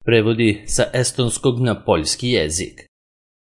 prevodi sa estonskog na poljski jezik.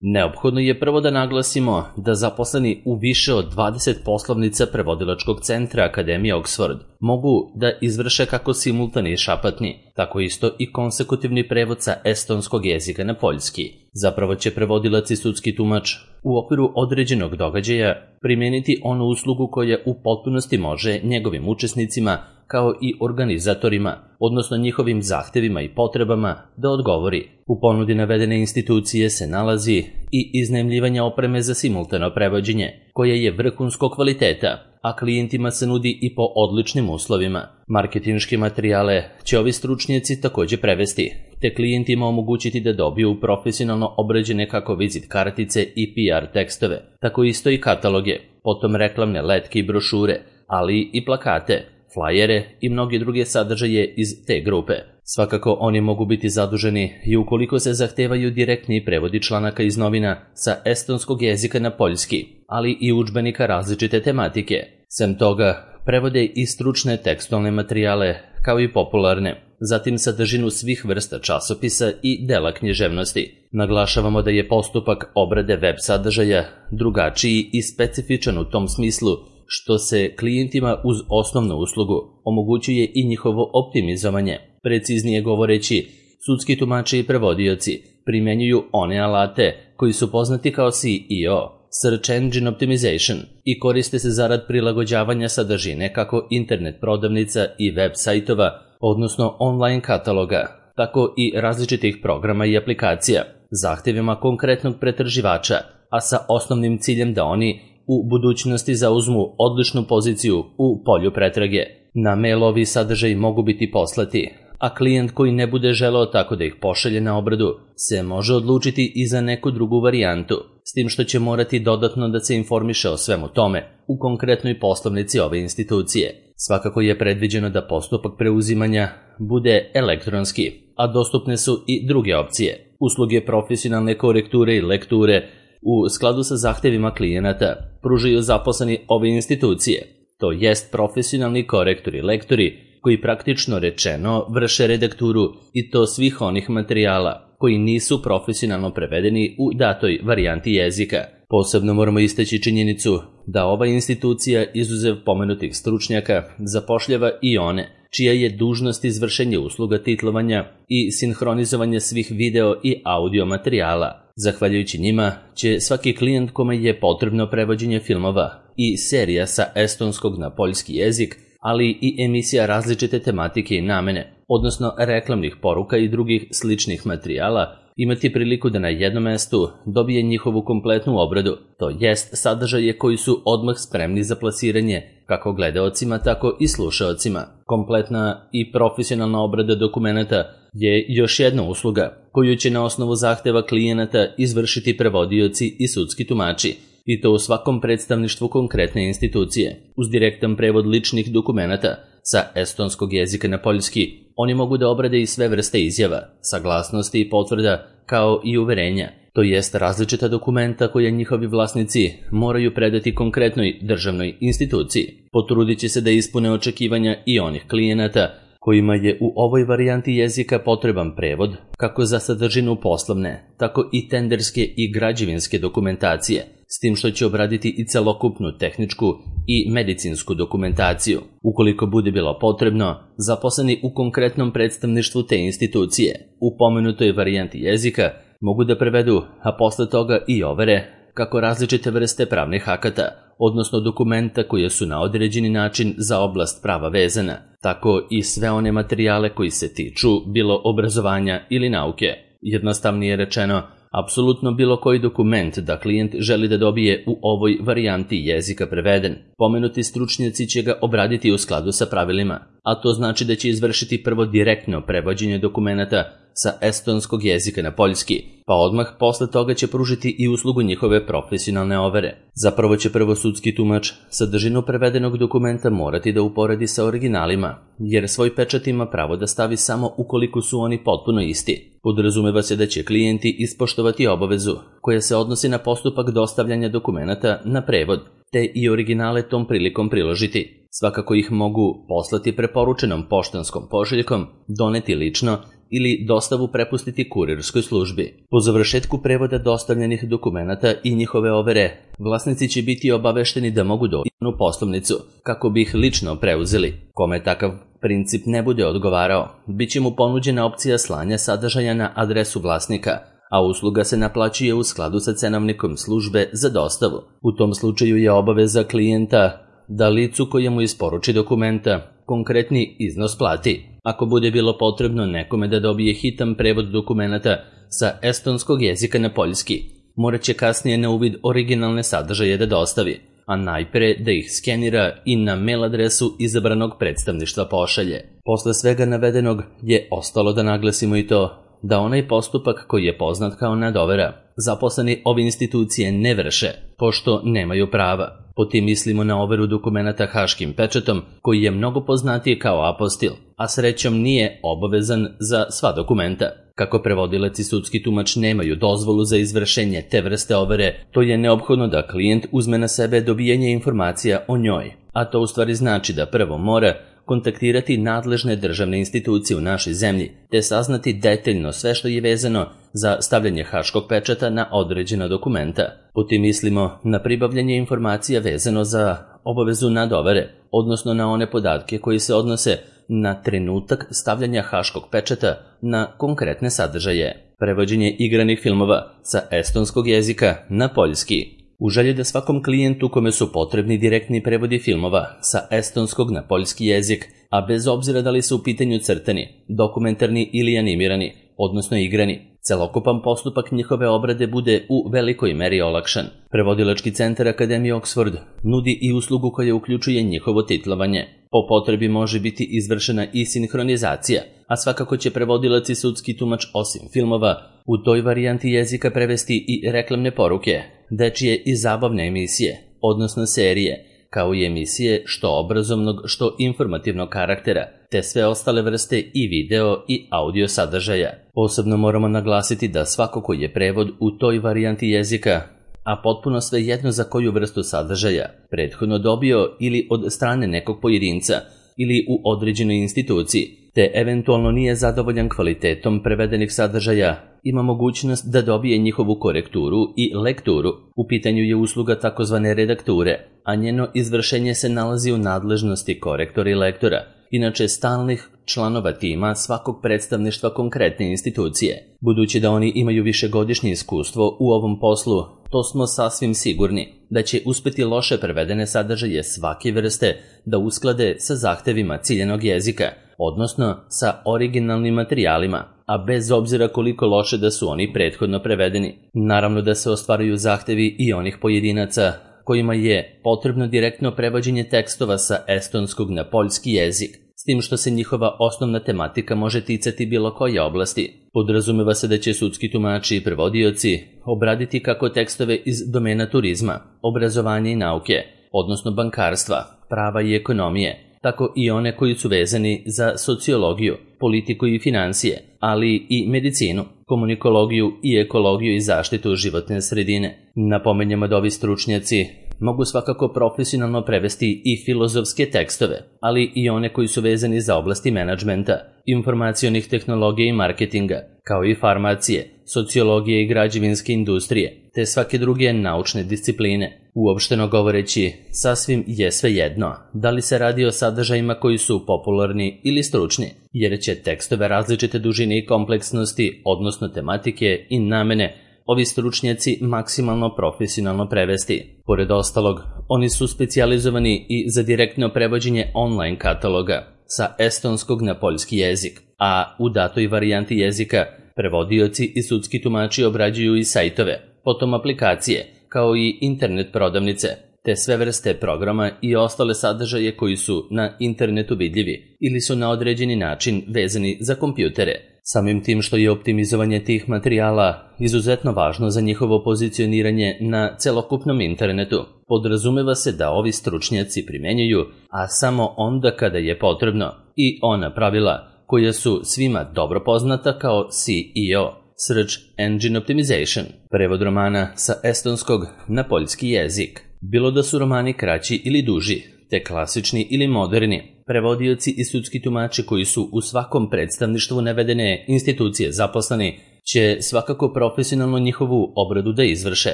Neophodno je prvo da naglasimo da zaposleni u više od 20 poslovnica prevodilačkog centra Akademije Oxford mogu da izvrše kako simultani i šapatni, tako isto i konsekutivni prevod sa estonskog jezika na poljski. Zapravo će prevodilac i sudski tumač u okviru određenog događaja primijeniti onu uslugu koja u potpunosti može njegovim učesnicima kao i organizatorima, odnosno njihovim zahtevima i potrebama, da odgovori. U ponudi navedene institucije se nalazi i iznajmljivanje opreme za simultano prevođenje, koje je vrhunskog kvaliteta, a klijentima se nudi i po odličnim uslovima. Marketinške materijale će ovi stručnjaci također prevesti, te klijentima omogućiti da dobiju profesionalno obrađene kako vizit kartice i PR tekstove, tako isto i kataloge, potom reklamne letke i brošure, ali i plakate, flajere i mnoge druge sadržaje iz te grupe. Svakako oni mogu biti zaduženi i ukoliko se zahtevaju direktni prevodi članaka iz novina sa estonskog jezika na poljski, ali i udžbenika različite tematike. Sem toga, prevode i stručne tekstualne materijale, kao i popularne, zatim sadržinu svih vrsta časopisa i dela književnosti. Naglašavamo da je postupak obrade web sadržaja drugačiji i specifičan u tom smislu što se klijentima uz osnovnu uslugu omogućuje i njihovo optimizovanje. Preciznije govoreći, sudski tumači i prevodioci primjenjuju one alate koji su poznati kao SEO, Search Engine Optimization, i koriste se zarad prilagođavanja sadržine kako internet prodavnica i web sajtova, odnosno online kataloga, tako i različitih programa i aplikacija, zahtjevima konkretnog pretraživača, a sa osnovnim ciljem da oni u budućnosti zauzmu odličnu poziciju u polju pretrage. Na mail ovi sadržaji mogu biti poslati, a klijent koji ne bude želeo tako da ih pošalje na obradu se može odlučiti i za neku drugu varijantu, s tim što će morati dodatno da se informiše o svemu tome u konkretnoj poslovnici ove institucije. Svakako je predviđeno da postupak preuzimanja bude elektronski, a dostupne su i druge opcije. Usluge profesionalne korekture i lekture u skladu sa zahtevima klijenata pružaju zaposleni ove institucije, to jest profesionalni korektori i lektori koji praktično rečeno vrše redakturu i to svih onih materijala koji nisu profesionalno prevedeni u datoj varijanti jezika. Posebno moramo istaći činjenicu da ova institucija, izuzev pomenutih stručnjaka, zapošljava i one čija je dužnost izvršenje usluga titlovanja i sinhronizovanja svih video i audio materijala. Zahvaljujući njima će svaki klijent kome je potrebno prevođenje filmova i serija sa estonskog na poljski jezik, ali i emisija različite tematike i namene, odnosno reklamnih poruka i drugih sličnih materijala, imati priliku da na jednom mestu dobije njihovu kompletnu obradu, to jest sadržaje koji su odmah spremni za plasiranje kako gledaocima, tako i slušaocima. Kompletna i profesionalna obrada dokumenata je još jedna usluga koju će na osnovu zahteva klijenata izvršiti prevodioci i sudski tumači, i to u svakom predstavništvu konkretne institucije. Uz direktan prevod ličnih dokumenata sa estonskog jezika na poljski, oni mogu da obrade i sve vrste izjava, saglasnosti i potvrda, kao i uverenja, to jest različita dokumenta koja njihovi vlasnici moraju predati konkretnoj državnoj instituciji. Potrudit će se da ispune očekivanja i onih klijenata kojima je u ovoj varijanti jezika potreban prevod kako za sadržinu poslovne, tako i tenderske i građevinske dokumentacije, s tim što će obraditi i celokupnu tehničku i medicinsku dokumentaciju. Ukoliko bude bilo potrebno, zaposleni u konkretnom predstavništvu te institucije u pomenutoj varijanti jezika mogu da prevedu, a posle toga i overe, kako različite vrste pravnih akata, odnosno dokumenta koje su na određeni način za oblast prava vezana, tako i sve one materijale koji se tiču bilo obrazovanja ili nauke. Jednostavnije rečeno, apsolutno bilo koji dokument da klijent želi da dobije u ovoj varijanti jezika preveden. Pomenuti stručnjaci će ga obraditi u skladu sa pravilima, a to znači da će izvršiti prvo direktno prevođenje dokumenata sa estonskog jezika na poljski, pa odmah posle toga će pružiti i uslugu njihove profesionalne overe. Zapravo će prvo sudski tumač sadržinu prevedenog dokumenta morati da uporedi sa originalima, jer svoj pečat ima pravo da stavi samo ukoliko su oni potpuno isti. Podrazumeva se da će klijenti ispoštovati obavezu koja se odnosi na postupak dostavljanja dokumenata na prevod, te i originale tom prilikom priložiti. Svakako ih mogu poslati preporučenom poštanskom pošiljkom, doneti lično ili dostavu prepustiti kurirskoj službi. Po završetku prevoda dostavljenih dokumenata i njihove overe, vlasnici će biti obavešteni da mogu doći u poslovnicu kako bi ih lično preuzeli. Kome takav princip ne bude odgovarao, bit će mu ponuđena opcija slanja sadržaja na adresu vlasnika, a usluga se naplaćuje u skladu sa cenovnikom službe za dostavu. U tom slučaju je obaveza klijenta da licu koje mu isporuči dokumenta konkretni iznos plati. Ako bude bilo potrebno nekome da dobije hitan prevod dokumenata sa estonskog jezika na poljski, morat će kasnije na uvid originalne sadržaje da dostavi, a najpre da ih skenira i na mail adresu izabranog predstavništva pošalje. Posle svega navedenog je ostalo da naglasimo i to da onaj postupak koji je poznat kao nadovera, zaposleni ove institucije ne vrše, pošto nemaju prava. Po tim mislimo na overu dokumenata haškim pečatom, koji je mnogo poznatiji kao apostil, a srećom nije obavezan za sva dokumenta. Kako prevodilac i sudski tumač nemaju dozvolu za izvršenje te vrste overe, to je neophodno da klijent uzme na sebe dobijanje informacija o njoj, a to u stvari znači da prvo mora kontaktirati nadležne državne institucije u našoj zemlji, te saznati detaljno sve što je vezano za stavljanje haškog pečata na određena dokumenta. Po tim mislimo na pribavljanje informacija vezano za obavezu nadovere, odnosno na one podatke koji se odnose na trenutak stavljanja haškog pečata na konkretne sadržaje. Prevođenje igranih filmova sa estonskog jezika na poljski. U želji da svakom klijentu kome su potrebni direktni prevodi filmova sa estonskog na poljski jezik, a bez obzira da li su u pitanju crtani, dokumentarni ili animirani, odnosno igrani, celokupan postupak njihove obrade bude u velikoj meri olakšan. Prevodilački centar Akademije Oxford nudi i uslugu koja uključuje njihovo titlovanje. Po potrebi može biti izvršena i sinhronizacija, a svakako će prevodilac i sudski tumač osim filmova u toj varijanti jezika prevesti i reklamne poruke, dečije i zabavne emisije, odnosno serije, kao i emisije što obrazovnog, što informativnog karaktera, te sve ostale vrste i video i audio sadržaja. Posebno moramo naglasiti da svako koji je prevod u toj varijanti jezika, a potpuno svejedno za koju vrstu sadržaja, prethodno dobio ili od strane nekog pojedinca ili u određenoj instituciji, te eventualno nije zadovoljan kvalitetom prevedenih sadržaja, ima mogućnost da dobije njihovu korekturu i lekturu. U pitanju je usluga takozvane redakture, a njeno izvršenje se nalazi u nadležnosti korektora i lektora, inače stalnih članova tima svakog predstavništva konkretne institucije. Budući da oni imaju višegodišnje iskustvo u ovom poslu, to smo sasvim sigurni da će uspeti loše prevedene sadržaje svake vrste da usklade sa zahtevima ciljanog jezika, odnosno sa originalnim materijalima, a bez obzira koliko loše da su oni prethodno prevedeni. Naravno da se ostvaruju zahtevi i onih pojedinaca kojima je potrebno direktno prevođenje tekstova sa estonskog na poljski jezik, s tim što se njihova osnovna tematika može ticati bilo koje oblasti. Podrazumeva se da će sudski tumači i prevodioci obraditi kako tekstove iz domena turizma, obrazovanja i nauke, odnosno bankarstva, prava i ekonomije, tako i one koji su vezani za sociologiju, politiku i financije, ali i medicinu, komunikologiju i ekologiju i zaštitu životne sredine. Napomenjamo da ovi stručnjaci mogu svakako profesionalno prevesti i filozofske tekstove, ali i one koji su vezani za oblasti menadžmenta, informacionih tehnologija i marketinga, kao i farmacije, sociologije i građevinske industrije, te svake druge naučne discipline. Uopšteno govoreći, sasvim je svejedno da li se radi o sadržajima koji su popularni ili stručni, jer će tekstove različite dužine i kompleksnosti, odnosno tematike i namene, ovi stručnjaci maksimalno profesionalno prevesti. Pored ostalog, oni su specijalizovani i za direktno prevođenje online kataloga sa estonskog na poljski jezik, a u datoj varijanti jezika prevodioci i sudski tumači obrađuju i sajtove, potom aplikacije, kao i internet prodavnice, te sve vrste programa i ostale sadržaje koji su na internetu vidljivi ili su na određeni način vezani za kompjutere. Samim tim što je optimizovanje tih materijala izuzetno važno za njihovo pozicioniranje na celokupnom internetu, podrazumeva se da ovi stručnjaci primenjuju, a samo onda kada je potrebno, i ona pravila koja su svima dobro poznata kao SEO, Search Engine Optimization, prevod romana sa estonskog na poljski jezik. Bilo da su romani kraći ili duži, te klasični ili moderni. Prevodioci i sudski tumači koji su u svakom predstavništvu navedene institucije zaposleni će svakako profesionalno njihovu obradu da izvrše.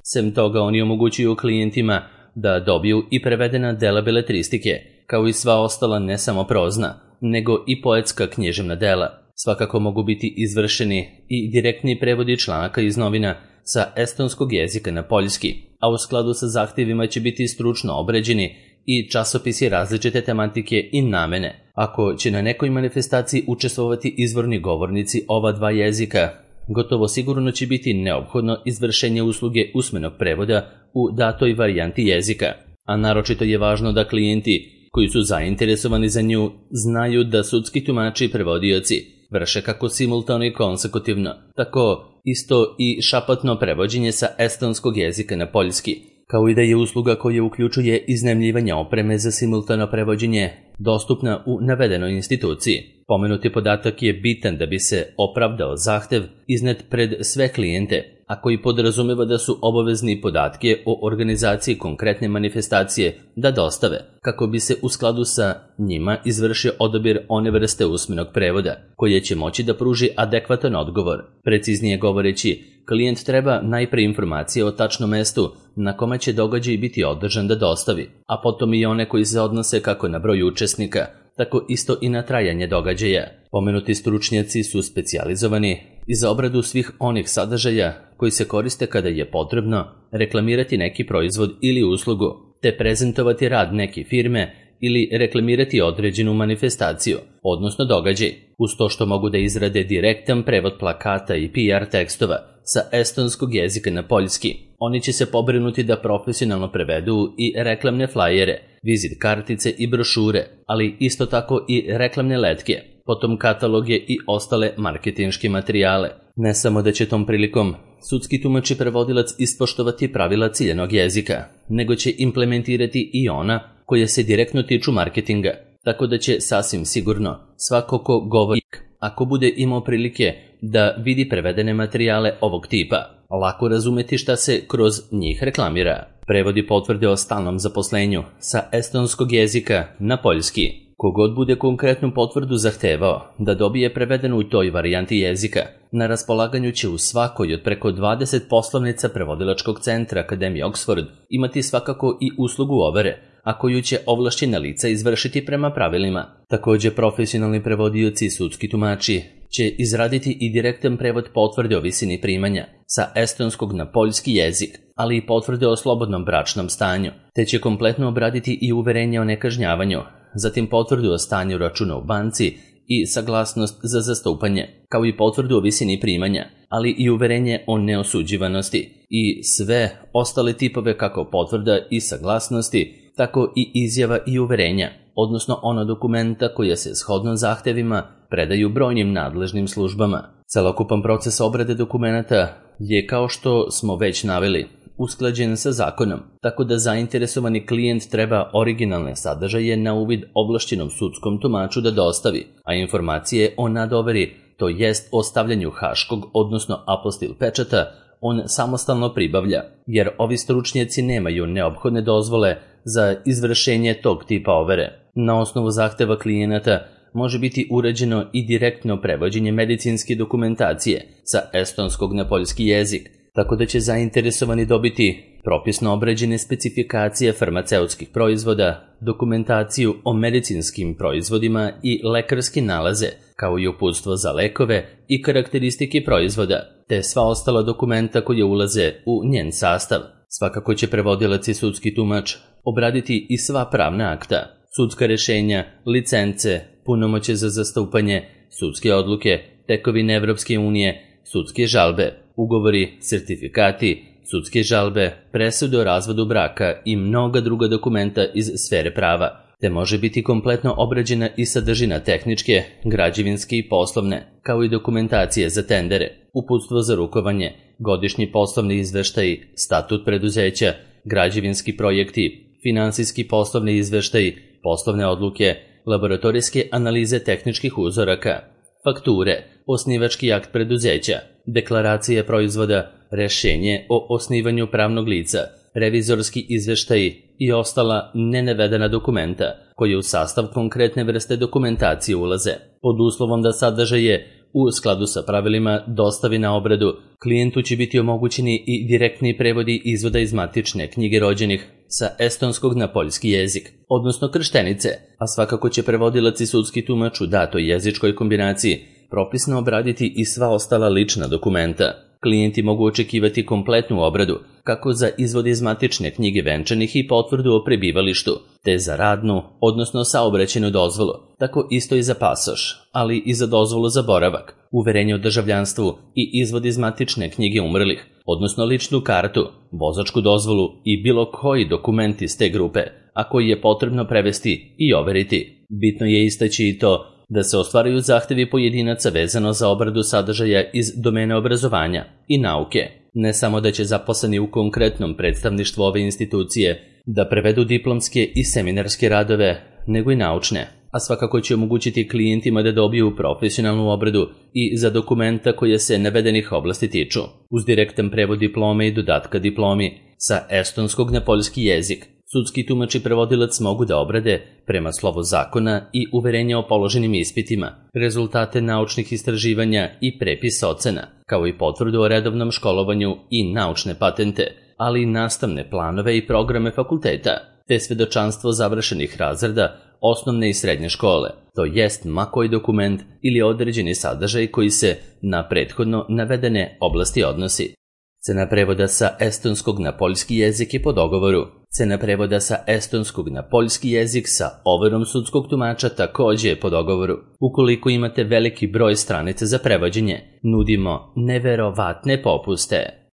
Sem toga, oni omogućuju klijentima da dobiju i prevedena dela beletristike, kao i sva ostala ne samo prozna, nego i poetska književna dela. Svakako mogu biti izvršeni i direktni prevodi članaka iz novina sa estonskog jezika na poljski, a u skladu sa zahtjevima će biti stručno obređeni i časopisi različite tematike i namene. Ako će na nekoj manifestaciji učestvovati izvorni govornici ova dva jezika, gotovo sigurno će biti neophodno izvršenje usluge usmenog prevoda u datoj varijanti jezika, a naročito je važno da klijenti koji su zainteresovani za nju znaju da sudski tumači i prevodioci vrše kako simultano i konsekutivno, tako isto i šapatno prevođenje sa estonskog jezika na poljski, kao i da je usluga koja uključuje iznajmljivanje opreme za simultano prevođenje dostupna u navedenoj instituciji. Pomenuti podatak je bitan da bi se opravdao zahtev iznet pred sve klijente, a koji podrazumeva da su obavezni podatke o organizaciji konkretne manifestacije da dostave, kako bi se u skladu sa njima izvršio odabir one vrste usmenog prevoda, koje će moći da pruži adekvatan odgovor. Preciznije govoreći, klijent treba najpre informacije o tačnom mestu na kome će događaj biti održan da dostavi, a potom i one koji se odnose kako na broj učesnika, tako isto i na trajanje događaja. Pomenuti stručnjaci su specijalizovani i za obradu svih onih sadržaja koji se koriste kada je potrebno reklamirati neki proizvod ili uslugu, te prezentovati rad neke firme ili reklamirati određenu manifestaciju, odnosno događaj, uz to što mogu da izrade direktan prevod plakata i PR tekstova sa estonskog jezika na poljski. Oni će se pobrinuti da profesionalno prevedu i reklamne flajere, vizit kartice i brošure, ali isto tako i reklamne letke, potom kataloge i ostale marketinške materijale. Ne samo da će tom prilikom sudski tumač i prevodilac ispoštovati pravila ciljanog jezika, nego će implementirati i ona koje se direktno tiču marketinga, tako da će sasvim sigurno svako ko govori, ako bude imao prilike da vidi prevedene materijale ovog tipa, lako razumeti šta se kroz njih reklamira. Prevodi potvrde o stalnom zaposlenju sa estonskog jezika na poljski. Kogod bude konkretnu potvrdu zahtevao da dobije prevedenu u toj varijanti jezika, na raspolaganju će u svakoj od preko 20 poslovnica prevodilačkog centra Akademije Oxford imati svakako i uslugu overe, a koju će ovlašćena lica izvršiti prema pravilima. Također profesionalni prevodioci i sudski tumači će izraditi i direktan prevod potvrde o visini primanja sa estonskog na poljski jezik, ali i potvrde o slobodnom bračnom stanju, te će kompletno obraditi i uverenje o nekažnjavanju, zatim potvrdu o stanju računa u banci i saglasnost za zastupanje, kao i potvrdu o visini primanja, ali i uverenje o neosuđivanosti i sve ostale tipove kako potvrda i saglasnosti, tako i izjava i uverenja, odnosno ona dokumenta koja se shodno zahtevima predaju brojnim nadležnim službama. Celokupan proces obrade dokumenata je, kao što smo već naveli, usklađen sa zakonom, tako da zainteresovani klijent treba originalne sadržaje na uvid ovlašćenom sudskom tumaču da dostavi, a informacije o nadoveri, to jest o stavljanju haškog, odnosno apostil pečata, on samostalno pribavlja, jer ovi stručnjaci nemaju neophodne dozvole za izvršenje tog tipa overe. Na osnovu zahteva klijenata može biti uređeno i direktno prevođenje medicinske dokumentacije sa estonskog na poljski jezik, tako da će zainteresovani dobiti propisno obređene specifikacije farmaceutskih proizvoda, dokumentaciju o medicinskim proizvodima i lekarske nalaze, kao i uputstvo za lekove i karakteristike proizvoda, te sva ostala dokumenta koje ulaze u njen sastav. Svakako će prevodilac i sudski tumač obraditi i sva pravna akta, sudska rješenja, licence, punomoćje za zastupanje, sudske odluke, tekovine Evropske unije, sudske žalbe, ugovori, sertifikati, sudske žalbe, presude o razvodu braka i mnoga druga dokumenta iz sfere prava, te može biti kompletno obrađena i sadržina tehničke, građevinske i poslovne, kao i dokumentacije za tendere, uputstvo za rukovanje, godišnji poslovni izveštaji, statut preduzeća, građevinski projekti, finansijski poslovni izveštaji, poslovne odluke, laboratorijske analize tehničkih uzoraka, fakture, osnivački akt preduzeća, deklaracije proizvoda, rješenje o osnivanju pravnog lica, revizorski izveštaji i ostala nenavedena dokumenta koje u sastav konkretne vrste dokumentacije ulaze. Pod uslovom da sadržaje u skladu sa pravilima dostavi na obradu, klijentu će biti omogućeni i direktni prevodi izvoda iz matične knjige rođenih sa estonskog na poljski jezik, odnosno krštenice, a svakako će prevodilac i sudski tumač u datoj jezičkoj kombinaciji propisno obraditi i sva ostala lična dokumenta. Klijenti mogu očekivati kompletnu obradu, kako za izvod iz matične knjige venčanih i potvrdu o prebivalištu, te za radnu, odnosno saobraćajnu dozvolu, tako isto i za pasoš, ali i za dozvolu za boravak, uverenje o državljanstvu i izvod iz matične knjige umrlih, odnosno ličnu kartu, vozačku dozvolu i bilo koji dokument iz te grupe, a koji je potrebno prevesti i overiti. Bitno je istaći i to da se ostvaruju zahtevi pojedinaca vezano za obradu sadržaja iz domena obrazovanja i nauke. Ne samo da će zaposleni u konkretnom predstavništvu ove institucije da prevedu diplomske i seminarske radove, nego i naučne, a svakako će omogućiti klijentima da dobiju profesionalnu obradu i za dokumenta koje se navedenih oblasti tiču, uz direktan prevod diplome i dodatka diplomi sa estonskog na poljski jezik. Sudski tumač i prevodilac mogu da obrade, prema slovu zakona i uverenja o položenim ispitima, rezultate naučnih istraživanja i prepis ocena, kao i potvrdu o redovnom školovanju i naučne patente, ali i nastavne planove i programe fakulteta, te svedočanstvo završenih razreda osnovne i srednje škole, to jest ma koji dokument ili određeni sadržaj koji se na prethodno navedene oblasti odnosi. Cena prevoda sa estonskog na poljski jezik je po dogovoru. Cena prevoda sa estonskog na poljski jezik sa overom sudskog tumača također je po dogovoru. Ukoliko imate veliki broj stranica za prevođenje, nudimo neverovatne popuste.